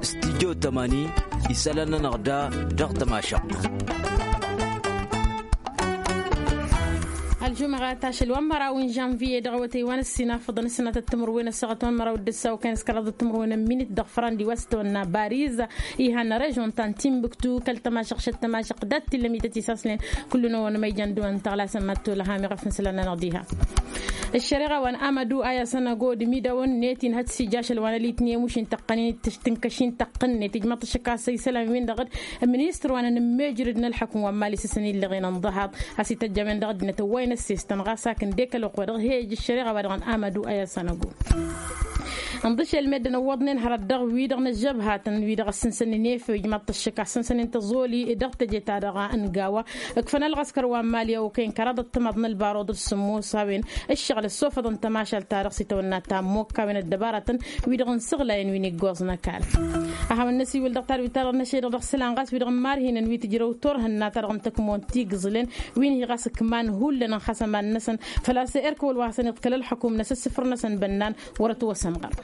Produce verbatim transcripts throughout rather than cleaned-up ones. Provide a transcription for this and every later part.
Stijyo tămani isălan-nănăɣ da dăɣ-tămašăɣt. Ălžumăɣa tašăl wa n-măraw n-žănviye dăɣ-awătăy wa n-ăssinafăḍăn ăssinatăt timǝrwen ăssaɣăt wa n-măraw d-ǝssaw kăyăn s-kăraḍăt timǝrwen n-minit dăɣ-fărandi wa s-tăwănna bariz. Ihan režon ta n-timbuktu kăl-tămašăɣ šăt tămašăɣ dat-tillămităt isaslen. Kullu n-ăwănămăy jăn dăwăn tăɣlasăn mad-tolăha meɣ a fǝnsălăn-anăɣ diha. Ăššăreɣa wa n-amădu a i-asăn ăgod imidawăn-net inhăt s-ija ašăl wa n-ălitni ămuš intăqqăn-in tǝnkăš-in tăqqăn-net ijmăḍ-t ăššăk a-s isălan-win-dăɣ d-ministăr wa n-anǝmmejrăd n-ălxukǝm wa n-mali s-ǝssan illăɣen ănḍăhaḍ. A-s ităjj a-wen-dăɣ ăddinăt ăwwayăn ăssestăn ɣas hak ǝndek ălwăqq wa dăɣ-hejj ăššăreɣa wa dăɣ-nămădu a i-asăn ăgod. Ǝnḍǝšel meddǝn ǝwwăḍnen hărăt dăɣ-wi-dăɣ n-ăžžăbhatăn wi-dăɣ ăssǝnsănen efej măṭṭăššăk a ăssǝnsănen tăẓoli dăɣ-teje-ta-dăɣ n-gawa. Ǝkfăn ălɣăskăr wa n-mali a okăyăn kăraḍăt timaḍ n-ălbaruḍ d-sǝmmos a-wen ǝššăɣǝl ăssofăḍăn tămašalt-ta-dăɣ s-itawănna ta n-imokka a-wen ăddăbaratăn wi-dăɣ n-sǝɣlayăn wi n-iggoẓ n-ăkall. A hawăn-năsiwǝl dăɣ-tadwit-ta-dăɣ n-ašăl-i-dăɣ dăɣ-isălan ɣas wi-dăɣ n-imarhinăn wi tǝjrăw turhǝnna-ta-dăɣ n-tăkmon ti igǝẓǝlen wi n-hi ɣas ǝkman hullan ănxasăman-năsăn. Făl-a-s erk wăl-wa hasăn-iḍkăl ălxukum-năsăn s-sǝfăr-năsăn bănnan wăr-ătwăsămɣăr.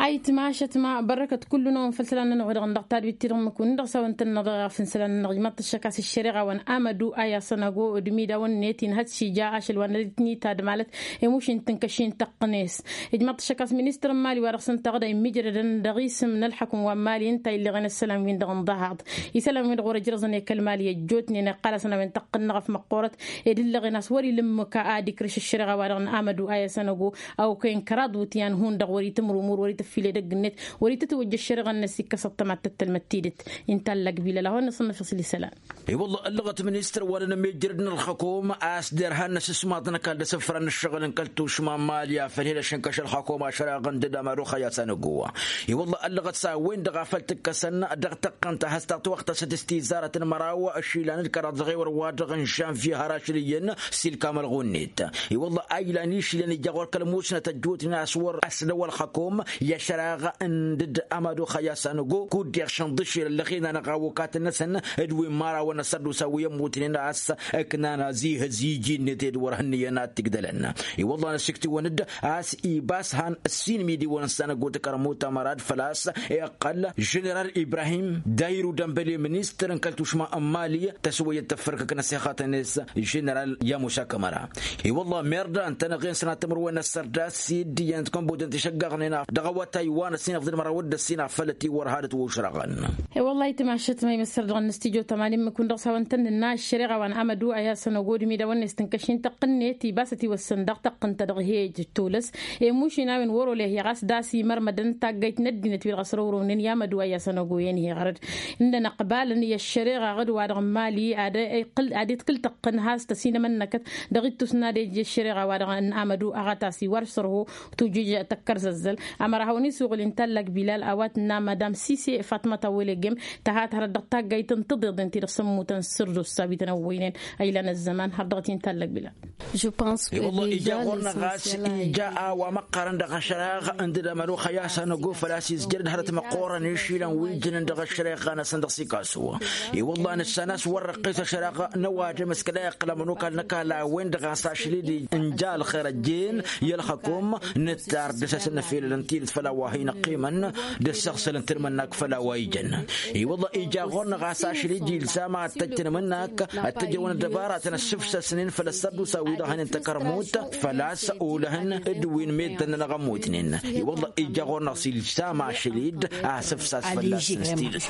Ayǝtma ašătma bărrăkăt kullu-năwăn făll-isălan-nănăɣ wi-dăɣ n-dăɣ tadwit-ti-dăɣ n-imǝkun dăɣ-s a-wen tăn-năɣ dăɣ-i ɣef n-isălan-nănăɣ ijmaḍ-t ăššăk a-s ăššăreɣa wa n-amădu a i-asăn ăgo d-imidawăn-net inhăt s-ija ašăl wa n-ălitni tadmalăt. Emuš intǝnkăš intăqqǝnes ijmaḍ-t ăššăk a-s ministăr n-mali wa dăɣ-s ǝnta ɣǝd a immijrădăn dăɣ-isǝm n-ălxukǝm wa n-mali ǝnta a illăɣen isălan-win-dăɣ ǝnḍăhaḍ. Isălan-win-dăɣ wăr-ăjrăẓăn i-kăl-mali ăjjootnen iqqal-asăn a-wen tăqqǝnnăɣ ăf măqqoorăt ed ǝllăɣen a-s wăr-ila ǝmmǝk a ad-ikrǝš ăššăreɣa wa dăɣ-n amădu a i-asăn ăgo a okăyăn kăraḍ iwǝtyan hundăɣ wăr-itǝmrǝmur wăr-itǝffil edăgg-net wăr-itǝtwăjj ăššăreɣa-net s-ikkăs ăṭṭămat tăttălmăt tidǝt. Inta ăllăg bilăl a hawăn-năsăn năfăs lisălan. I-wălla ăllăɣăt ministăr wa n-anămijrăd n-ălxăkom a-s derhan n-asǝsmaḍ n-ăkall d-asǝfran n-ǝššăɣǝl n-kăl-tušma n-mali a făl hin-ašǝnkăš ălxăkom ašăraɣăn d-ădamăr uxăy a-s anăgo-wa. I-wălla ăllăɣăt s-a-wen-dăɣ a făl tǝkkăsăn dăɣ-tăqqăn ta has-tătwăɣtăsăt s-tizarăt n-măraw išilan d-kăraḍ dăɣ-ewăr wa-dăɣ n-žănvye har ašăl iyyăn s-ilkam ălɣunnet. I-wălla a ilan išilan ija ɣur-kăl-musnăt ăjjootnen a-s wăr-ăslăw ălxăkom i-ašăraɣ n-dd-amăd uxăy a-s anăgo kud-deɣ šănḍǝšel ăllăɣen-anăɣ awăkatăn-năsăn d-wi n-imărawăn n-asărdus a-wi ămmutnen a-s ǝknan azihăz iji-net ed wăr hǝnnǝyăn ad-t-igdălăn. I-wălla năsiktǝwăn-dd a-s ibas han ǝssin imidiwăn s-anăgo tăkărmut amărad făl-a-s iqqăl ženeral ibrahim dayru dănbăle ministăr n-kăl-tušma n-mali tăswăyăt tăffărkăk n-ăssixatăn-net ženeral yamusa kămăra. I-wălla merda ǝnta n-eɣen sănatămăr-wen ăssărdas s-iddiyăn d-kănbudăn tišăggaɣnen dăɣ-awătay wa n-ăssinăɣ d-ănmăraw d-ăssinăɣ făll-ătiwărhadăt wa ušrăɣăn. I-wălla itmašăt ma imăssăr dăɣ-năstijotăma n-immǝk-wǝn dăɣ-s a-wăn tăn-nǝnna ăššăreɣa wa n-amădu a i-asăn ăgod imidawăn-net tǝnkăš-in tăqqǝnnet ibas ătiwăssăn daɣ tăqqǝn-ta dăɣ-hej tulăs. Emušin a-wen wăr-olehi ɣas d-a-s imărmădăn taggayt n-ăddinăt wi-dăɣ ăsrăwrăwnen i-amădu a i-asăn ăgo i-ănheɣărăd. Ǝndăn ăqbalăn i-ăššăreɣa ɣǝd-wa-dăɣ n-mali ad-iḍkǝl tăqqǝn has-tăsinămănnăkăt dăɣ-ittus n-ad-ej i-ăššăreɣa-wa-dăɣ n-amădu aɣătas-i wăr-sărho tujǝj tăkkăr zăzzăl. Amăra hawăn-isuɣǝl inta ăllăg bilal a-wa tǝnna madam sise fatmăt awălegem tăhat hărăt dăɣ-taggayt n-tiḍeḍen ti-dăɣ s-ămmutăn sărdus s-a-wi tăn-ăwwăynen. A ilan ăzzăman har dăɣ-t inta ăllăg bilal. I-wălla ija ɣur-năɣ a-s ija a-wa măqqarăn dăɣ-ašăreɣ ǝndǝd amălux a i-asăn ăgo făl-a-s izjăr d-hărăt măqqoorăn išilan wi ǝjǝnăn dăɣ-ašăreɣ-năsăn dăɣ-sikasu. I-wălla nǝssan a-s wăr-răqqes ašăreɣ n-ăwadǝm s-kăla iqqǝl amănokal n-ăkall a-wen-dăɣ a-s ašăl-i d-inja ălxer ăjjeen i-ălxăkom. Nǝttar dăr-s a-s nǝfilăl ǝnta-i d-făll-a-wa hin-ăqqimăn d-ăssăɣsălăn tǝlmǝnnak făll-a-wa ijăn. I-wălla ija ɣur-năɣ a-s ašăl-i d-ilzam ad-tăjj tǝlmǝnnak ad-t-ǝjrăwăn ăddăbaratăn ăssǝfsăsnen făll-ăssărdusa wi-dăɣ hănen tăkărmut făl-a-s olăhăn d-wi n-meddǝn-nănăɣ ămmutnen. I-wălla ija ɣur-năɣ s-ilzam ašăl-i d-asǝfsas fălla-săn s-tidǝt.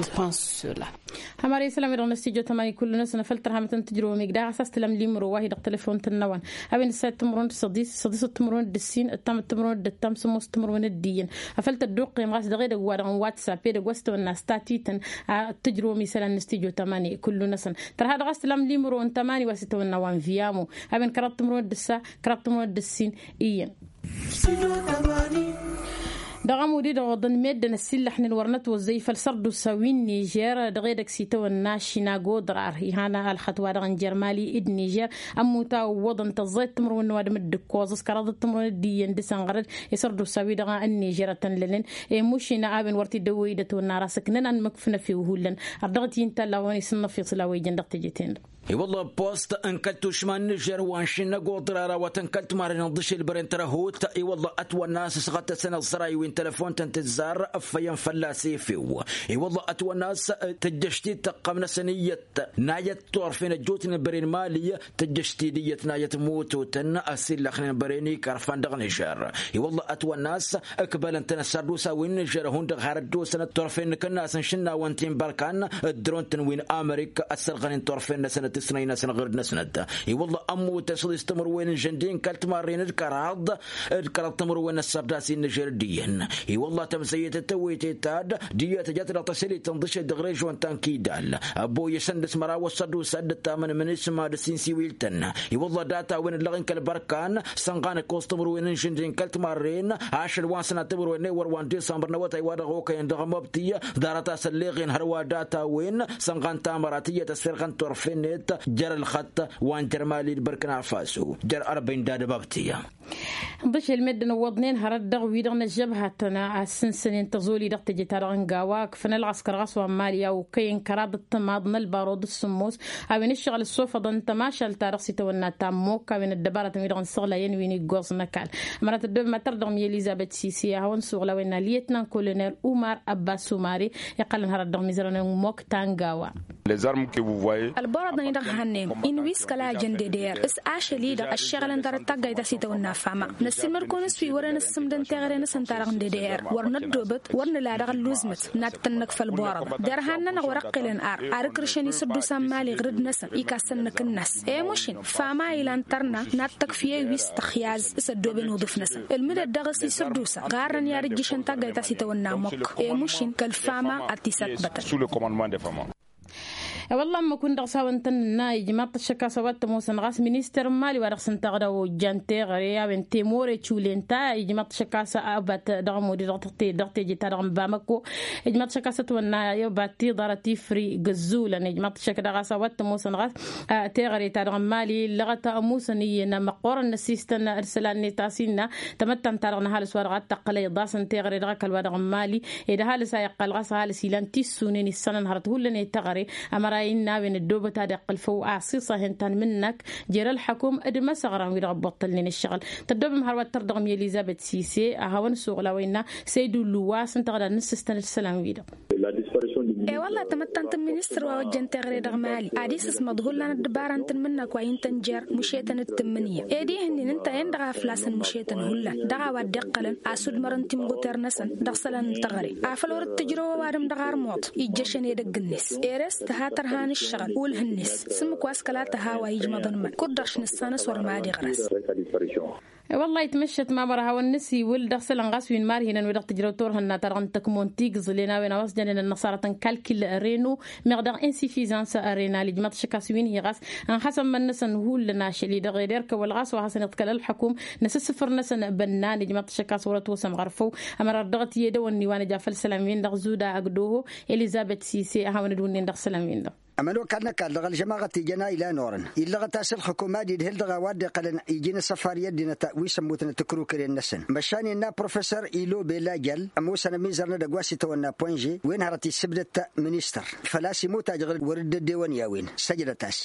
Hămăra isălan wi-dăɣ n-ăstijo tămani kullu-năsăn afăl tărhamăt n-tǝjrăwăm igdăɣ a-s tǝlăm limro wa hi-dăɣ telefon tǝnnăwăn a-wen ǝssayăt timǝrwen d-săḍis săḍisăt timǝrwen d-ǝssin ǝttamăt timǝrwen d-ǝttam sămoosăt timǝrwen d-iyyăn. Afăl tădduqqem ɣas dăɣ-edăgg wa dăɣ-n whatsapp edăgg wa s-tăwănna statităn. Ad-tǝjrăwăm isălan n-ăstijo tămani kullu-năsăn tărha dăɣ-a-s tǝlăm limro n-tămani wa s-itawănna wa n-viamo. A-wen kăraḍ timǝrwen d-ǝssa kăraḍ timǝrwen d-ǝssin iyyăn. Dăɣ-ămud-i-dăɣ oḍăn meddǝn ăsillăxnen wăr nătwăzzăy făll-sărdusa wi n-nižer dăɣ-edăgg s-itawănna ašinago ḍrar ihana ălxăt-wa-dăɣ n-jer mali d-nižer. Ămmut a ǝwwăḍăn tăẓẓayăt timǝrwen n-ăwadǝm d-ǝkkoẓ s-kăraḍăt timǝrwen d-iyyăn dăr-s ănɣărăd. I-sărdusa wi-dăɣ n-nižer a-tăn-lănen. Emušina a-wen wăr t-dd-ăwwăy d-ătwănna ara s-ǝknăn anmǝkf n-efew hullan. Ărdăɣăt i-ǝnta a-wa n-isǝnnăf iṣla wa ijăn dăɣ-teje-ten-dăɣ. I-wălla post n-kăl-tušma n-nižer wa n-šin n-agoḍ ḍrara wa tăn-kăl-timarren n-ḍišel băren tărăhut. I-wălla ătwănna a-s ăsɣăt-tăsăn ăẓẓăray wi n-telăfon-tăn tǝzzar ăffăyăn fălla-s efew. I-wălla ătwănna a-s tǝjjăš-t-dd tăqqăm-năsăn iyyăt nayăt turfen ăjjootnen băren mali. Tǝjjăš-t-dd iyyăt nayăt mututăn ăsillăxnen băren ikarfan dăɣ-nižer. I-wălla ătwănna a-s ǝkbălăn-tăn ăssărdusa wi n-nižer hundăɣ har ăddosăn turfen n-kănnas n-išǝnnawăn ti n-bărkan ăddăron-tăn wi n-amărik ăssărɣănen turfen-năsăn d-tisnăy-năsăn ɣǝrǝd-năsnăt. I-wălla ămmutăn šăḍis timǝrwen n-žăndin kăl-timarren d-kăraḍ d-kăraḍ timǝrwen ăssărdas i n-nižer d-iyyăn. I-wălla tămzăyyăt tăwwetăy-ta-dd d-iyyăt ăjat dăɣ-tăsălit n-dăšel dăɣ-režon ta n-kidal ăbboyăšăn d-asmăra wa s-ăddusa dd-ăttamăn mǝnisma d-sinsiwil-tăn. I-wălla data-wen ǝllăɣ-in kăl-bărkan sănɣan ăkkoẓ timǝrwen n-žǝndin kăl-timarren ašăl wa n-sănat timǝrwen n-ewăr wa n-disămbăr n-awătay wa dăɣ-okăyăn dăɣ-măbtǝy. Ḍarăt-as ălleɣen hărwa data-wen sănɣan tamărat iyyăt ăssirɣăn turfen-net jer-ălxăṭṭ wa n-jer-mali d-bărkna faso jer-arbăy n-dadăbabtǝy. Ḍišel meddǝn ǝwwăḍnen hărăt dăɣ-wi-dăɣ n-ăžžăbhatăn a ăssǝnsănen tăẓoli dăɣ-teje-ta dăɣ-n gawa ǝkfăn ălɣăskăr ɣas wa n-mali a okăyăn kăraḍ d-tămaḍ n-ălbaruḍ d-sǝmmos a-wen ǝššăɣǝl ăssofăḍăn tămašalt-ta-dăɣ s-itawănna ta n-imokk a-wen ăddăbarătăn wi-dăɣ n-săɣlayăn wi n-iggoẓ n-ăkall. Ămăra tăddoobem ad-tărdăɣ mi-elizăbet sise a hawăn-suɣǝl a-wen n-aliyăt n-ankolonel umar ăbbas umare iqqălăn hărăt dăɣ-mizărăn n-imokk ta n-gawa. Ălborăḍăn-i-dăɣ hannăyăm inwiskăl a ăjăn d-dd-er s-ašăl-i-dăɣ ăššeɣălăn dăr-taggayt ta s-itawănna fama. Năssiilmăd-kăwăn s-wi wărăn ǝssǝmdăn teɣăre-năsăn ta dăɣ-n d-dd-er wăr năddoobăt wăr nǝla dăɣ-ălluẓmăt n-ad-tăn-năkf ălborăḍăn derhan-nănăɣ wăr-ăqqelăn ar ar ǝkrǝšăn isǝddusa n-mali ɣǝrǝd-năsăn. Ikasăn-năk ǝnnas i-mušin fama ilan tărna n-ad-tăkf i-ewis tăxyaz s-ăddooben uḍǝf-năsăn ǝlmǝdăt dăɣ-s isǝddusa ɣarrăn i-ad-ǝjjǝšăn taggayt ta s-itawănna ămmuk. I-mušin kăl-fama ad-t-isatbătăn. Wălla ămmăkun dăɣ-s hawăn-tăn-nǝnna ijmaḍ-t ăššăk a-s a-wa t-ămoosăn ɣas ministăr n-mali wa dăɣ-s ǝnta a dăɣ-ojjan teɣăre a-wen temore culenta ijmaḍ-t ăššăk a-s abat dăɣ-ămodi dăɣ-teje ta dăɣ-n bamăko. Ijmaḍ-t ăššăk a-s ătwănna abat tiḍarăt ifri gǝzzulăn ijmaḍ-t ăššăk daɣ a-s a-wa t-ămoosăn ɣas teɣăre ta dăɣ-n mali illăɣăt ămoosăn iyyăn măqqoorăn n-ăssistăn d-isălan-net a-s innă tamăttant-ta-dăɣ n-ăhalǝs wa dăɣ-ad-tăqqǝl a iḍasăn teɣăre dăɣ-ăkall wa dăɣ-n mali. Ed ăhalǝs a iqqăl ɣas ăhalǝs ilan tissunen issanăn hărăt hullan i-teɣăre. Ămăra innă a-wen ăddoobăt ad-iqqǝl făw asiṣa hen-ta n-imǝnnăk jer-ălxăkum d-imăsăɣran wi-dăɣ ăbbuṭṭălnen ǝššăɣǝl. Tăddoobem hărwa d-tărdăɣ mi-elizăbet sise a hawăn-ǝssuɣǝl a-wa innă săydullu wa s-ǝnta ɣǝd ad-nǝssǝstăn d-isălan-wi-dăɣ. E-wălla tamăttant n-ministăr wa ojjăn teɣăre dăɣ-mali ad-isǝsmăḍ hullan ăddăbara n-tǝnmǝnnăk wa intăn jer-mušetăn d-tǝmmǝnǝya ed ihǝnnin ǝnta-en-dăɣ a făl-a-s ănmušetăn hullan dăɣ-a-wa dd-iqqălăn asudmărăn timɣuter-năsăn dăɣ-isălan n-teɣăre afăl wăr-dd-tǝjrăw ăwadǝm dăɣ-armuḍ. Ijjăšăn edăgg-net ere-s tǝha tărha n-ǝššăɣǝl ulh-net s-ǝmmǝk wa s-kăla tǝha a-wa ijmăḍăn măl kud-dăɣ š-nǝssan s-wăr mad-iɣrăs. Wăllah itmǝššăt mamăr a hawăn-nǝsiwǝl dăɣ-isălan ɣas wi n-imarhinăn wi-dăɣ tǝjrăw turhǝnna-ta-dăɣ n-tăkmon tigǝẓlen a-wen a-wa s-jănen ănnăṣarăt n-kalkil reno meɣ dăɣ-insifizans renal ijmaḍ šăk a-s wi n-hi ɣas ănxăsăn iman-năsăn hullan ašăl-i-dăɣ ed erk ăwăl ɣas wa hasăn-iḍkăl ălxăkum n-asǝssǝfǝr-năsăn bănnan ijmaḍ šăk a-s wăr-ătwăsăm ɣăr făw. Ămăra dăɣ-t i-edăwănni wa nǝja făll-isălan-win-dăɣ zuda ăgg doho elizăbet sise a hawăn-dd-wǝnnen dăɣ-isălan-win-dăɣ. Ămănokal n-ăkall dăɣ-ălžămaɣăt ijăn a ilan orăn illăɣăt a-s ǝlxǝkum ad-idhǝl dăɣ-a-wa dd-iqqălăn iji n-asăfar i-ăddinăt wi s-ămmutnăt ǝkrukǝren-năsăn măšan innă professor ilobe lajăl ămoosăn ămizăr n-edăgg wa s-itawănna poinže wen hărăt issǝbdăt ministăr făl-a-s imut ajăɣ-dd wăr-dd-ăddewăn i-a-wen. Săjdăt-as.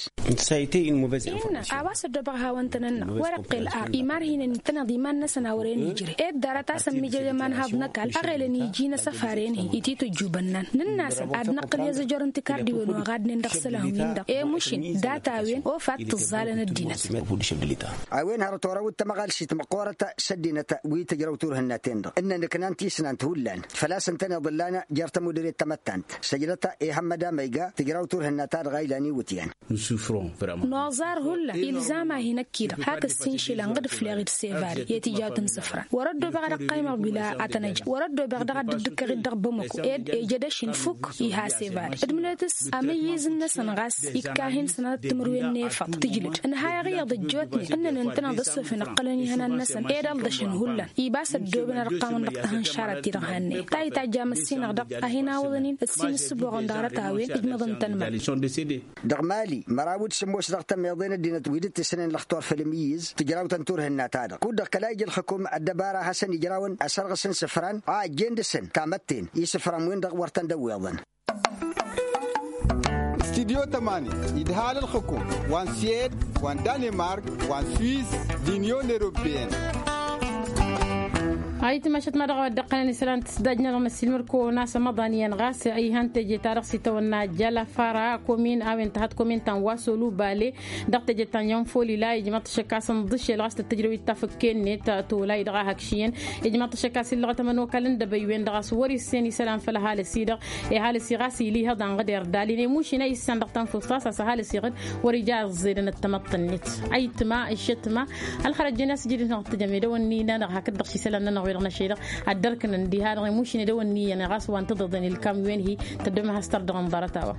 Innă a-wa s-ăddoobăɣ hawăn-tăn-ănnăɣ wăr-ăqqel ar imarhinăn ǝntăneḍ iman-năsăn a wăren ijre ed ḍarăt a-s ămmijăj ămanhaḍ n-ăkall ăɣelăn iji n-asăfar-en-hi ititǝjjubăn-năn nǝnn'-asăn ad-năqqǝl i-ăẓăjor n-tikardiwen wa ɣadnen dăɣ-isălan-win-dăɣ i-mušin data-wen ofa d-tǝẓẓalăn ăddinăt. A-wen hărăt orăw d-tamăɣalsit măqqoorăt s-ăddinăt wi tǝjrăw turhǝnna-ten-dăɣ ǝnnăn ǝknan tisnant hullan făl-a-s ǝntăneḍ ǝllan jer-tămudre d-tamăttant săjdăt ihămmăd amăyga tǝjrăw turhǝnna-ta-dăɣ a ilan iwǝtyan. Noẓar hullan ilzam-ahi năkk-i-dăɣ hak ǝssin išilan ɣǝd ǝfleɣ-dd sevari i-tijawt n-isǝfran wăr-ăddoobăɣ ad-ăqqaymăɣ bila ad-tăn-ăjăɣ wăr-ăddoobăɣ daɣ ad-dd-ǝkkăɣ-dd dăɣ-bamăko ed ejăd ašin fukk iha sevari d-mǝlăt s-amǝyyǝz-năsăn ɣas ikka-hin sănatăt timǝrwen n-efăḍ tǝjlǝd ǝnhayăɣ iyyăḍ ăjjootnen ǝnnăn ǝntăneḍ ăssofăn ǝqqălăn ihănan-năsăn ed ălḍăšăn hullan. Ibas ăddoobăn ad-ǝqqamăn dăɣ-tahǝnšarăt-i-dăɣ hannăyăn ta itajj amǝssinăɣ dăɣ-ahinawăḍăn-in ǝssin ǝssǝboɣăn dăɣ-arăt a-wen ǝjmăḍăn-tăn măl. Dăɣ-mali măraw d-sǝmmos dăɣ-tămmeḍe n-ăddinăt wi dd-tǝssǝnen lăxtor făll-imǝyyǝz tǝjrawt n-turhǝnna-ta-dăɣ kud-dăɣ kăla ija ǝlxǝkum ăddăbara a hasăn-ijrawăn asărɣǝs n-isǝfran a ăjjeen dăɣ-săn tamătten isǝfran-win-dăɣ wăr tăn-dd-ăwweḍăn. Tidyo tămani idhal ǝlxǝkum wa n-siyed wa n-danimark wa n-swiss d-inyon eropeyăn. Ayǝtma ašăt ma dăɣ-a-wa dd-ăqqălăn isălan tisdajnănăɣ n-ăssiilmăr-kăwăn a-s ămăḍan iyyăn ɣas iha n-teje-ta-dăɣ s-itawănna jăla fara komin a-wen tăhăḍ komin ta n-wa s-olubale dăɣ-teje ta n-yonfoli la ijmaḍ-t ašăk a-s ǝnḍǝšel ɣas tăt-tǝjrăw-dd tafǝkke-net tolay dăɣ-a hak šiyăn. Ijmaḍ-t ašăk a-s illăɣăt ămănokal n-dăbăywen dăɣ-a-s wăr-issen isălan făll-ăhalǝs-i-dăɣ. Ihalǝs-i ɣas ila ihăḍan ɣǝder dali n-emušin a issan dăɣ-tanfust a-s ăhalǝs-i-ɣǝd wăr-ija ăẓẓedăn ăttămăḍt-net. Ayǝtma ǝššătma ălxărăt jen a-s ǝjǝdǝt-năɣ tǝjăm edăwănni-nănăɣ hakd-dăɣ šisălan-nănăɣ wi-dăɣ năšedăɣ ad-dăr-kǝnăn diha-dăɣ emušin edăwănni iyyăn ɣas wa n-tǝḍăḍen ilkam wen-hi. Tăddom ad-has-tărdăɣăn ḍarăt-a-wa.